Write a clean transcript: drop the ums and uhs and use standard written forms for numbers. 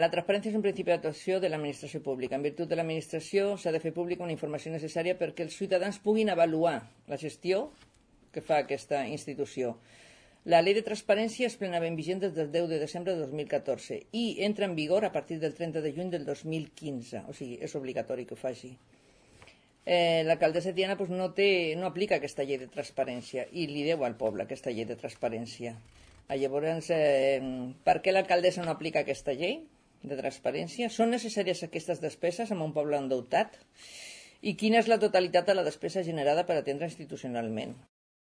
La transparència és un principi d'actuació de l'administració pública. En virtut de l'administració s'ha de fer pública una informació necessària perquè els ciutadans puguin avaluar la gestió que fa aquesta institució. La llei de transparència és plenament vigent des del 10 de desembre de 2014 i entra en vigor a partir del 30 de juny del 2015, o sigui, és obligatori que ho faci. L'alcaldessa Tiana no aplica aquesta llei de transparència i li deu al poble aquesta llei de transparència. Llavors, per què l'alcaldessa no aplica aquesta llei de transparència? Són necessàries aquestes despeses en un poble endeutat? I quina és la totalitat de la despesa generada per atendre institucionalment?